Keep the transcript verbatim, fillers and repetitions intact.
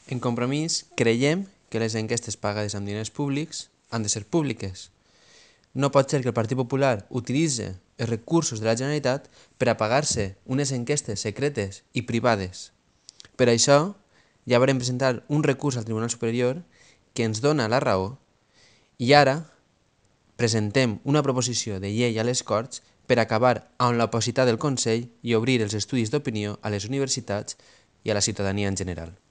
En Compromís creiem que les enquestes pagades amb diners públics han de ser públiques. No pot ser que el Partit Popular utilitzi els recursos de la Generalitat per a pagar-se unes enquestes secretes i privades. Per això, ja vam presentar un recurs al Tribunal Superior que ens dona la raó i ara presentem una proposició de llei a les Corts per acabar amb l'opacitat del Consell i obrir els estudis d'opinió a les universitats i a la ciutadania en general.